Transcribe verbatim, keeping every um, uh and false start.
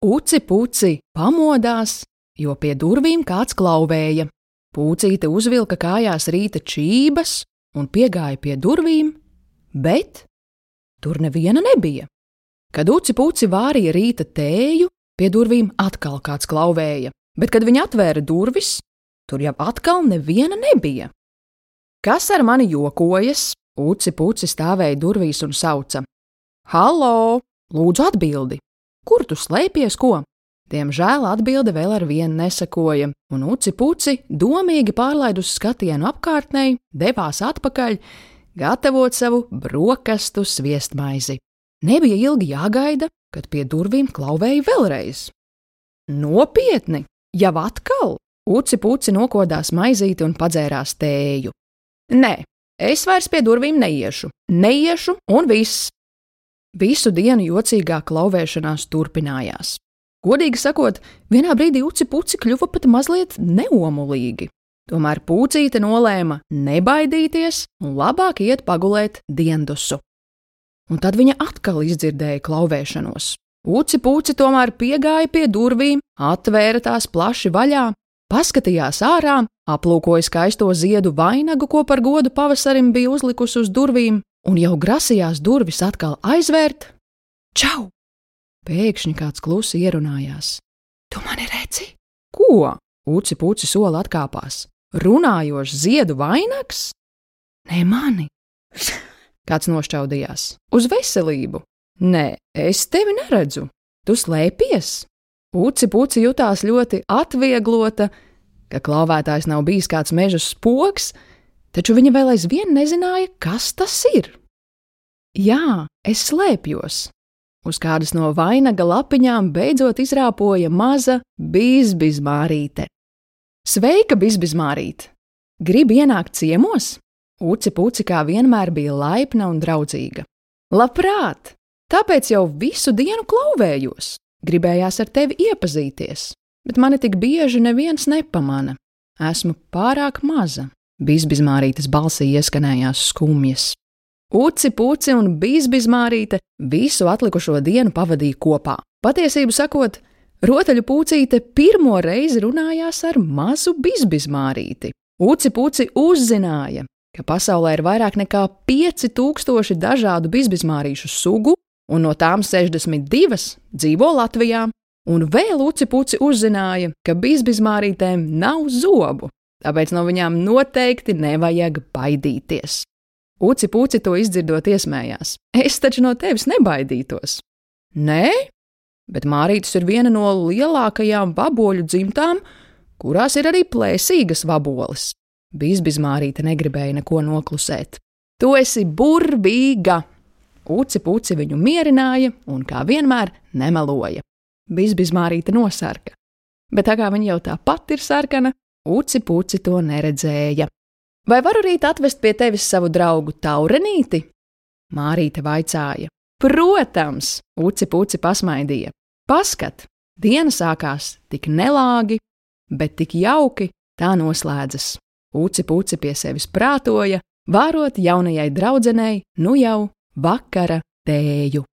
Uci Puci pamodās, jo pie durvīm kāds klauvēja. Pucīte uzvilka kājās rīta čības un piegāja pie durvīm, bet tur neviena nebija. Kad Uci Puci vārīja rīta tēju, pie durvīm atkal kāds klauvēja, bet kad viņa atvēra durvis, tur jau atkal neviena nebija. Kas ar mani jokojas? Uci Puci stāvēja durvīs un sauca: Halo, lūdzu atbildi! Kur tu slēpies, ko? Diemžēl atbilde vēl ar vienu nesakoja, un Uci Puci, domīgi pārlaidus skatienu apkārtnei, devās atpakaļ, gatavot savu brokastu sviestmaizi. Nebija ilgi jāgaida, kad pie durvīm klauvēja vēlreiz. Nopietni, jau atkal? Uci Puci nokodās maizīti un padzērās tēju. Nē, es vairs pie durvīm neiešu, neiešu un viss. Visu dienu jocīgā klauvēšanās turpinājās. Godīgi sakot, vienā brīdī Uci Puci kļuva pat mazliet neomulīgi. Tomēr Pucīte nolēma nebaidīties un labāk iet pagulēt diendusu. Un tad viņa atkal izdzirdēja klauvēšanos. Uci Puci tomēr piegāja pie durvīm, atvēra tās plaši vaļā, paskatījās ārā, aplūkoja skaisto ziedu vainagu, ko par godu pavasarim bija uzlikusi uz durvīm, un jau grasījās durvis atkal aizvērt. Čau! Pēkšņi kāds klusi ierunājās. Tu mani redzi? Ko? Uci Puci soli atkāpās. Runājošs ziedu vainags? Nē, mani. Kāds nošķaudījās. Uz veselību. Nē, es tevi neredzu. Tu slēpies? Uci Puci jutās ļoti atvieglota, ka klauvētājs nav bijis kāds meža spoks, taču viņa vēl aizvien nezināja, kas tas ir. Jā, es slēpjos. Uz kādas no vainaga lapiņām beidzot izrāpoja maza Bizbizmārīte. Sveika, Bizbizmārīt! Gribi ienākt ciemos? Uci Puci kā vienmēr bija laipna un draudzīga. Labprāt! Tāpēc jau visu dienu klauvējos. Gribējās ar tevi iepazīties, bet mani tik bieži neviens nepamana. Esmu pārāk maza. Bizbizmārītes balsī ieskanējās skumjas. Uci Puci un Bizbizmārīte visu atlikušo dienu pavadīja kopā. Patiesību sakot, rotaļu Pucīte pirmo reizi runājās ar mazu Bizbizmārīti. Uci Puci uzzināja, ka pasaulē ir vairāk nekā pieci tūkstoši dažādu bizbizmārīšu sugu, un no tām sešdesmit divas dzīvo Latvijā. Un vēl Uci Puci uzzināja, ka bizbizmārītēm nav zobu. Tāpēc no viņām noteikti nevajag baidīties. Uci Puci to izdzirdot iesmējās. Es taču no tevis nebaidītos. Nē, bet mārītes ir viena no lielākajām vaboļu dzimtām, kurās ir arī plēsīgas vaboles. Bizbizmārīte negribēja neko noklusēt. Tu esi burvīga! Uci Puci viņu mierināja un kā vienmēr nemeloja. Bizbizmārīte nosarka. Bet tā kā viņa jau tāpat ir sarkana, Uci Puci to neredzēja. Vai varu rīt atvest pie tevis savu draugu Taurenīti? Mārīte vaicāja. Protams, Uci Puci pasmaidīja. Paskat, diena sākās tik nelāgi, bet tik jauki tā noslēdzas. Uci Puci pie sevis prātoja, vārot jaunajai draudzenei nu jau vakara tēju.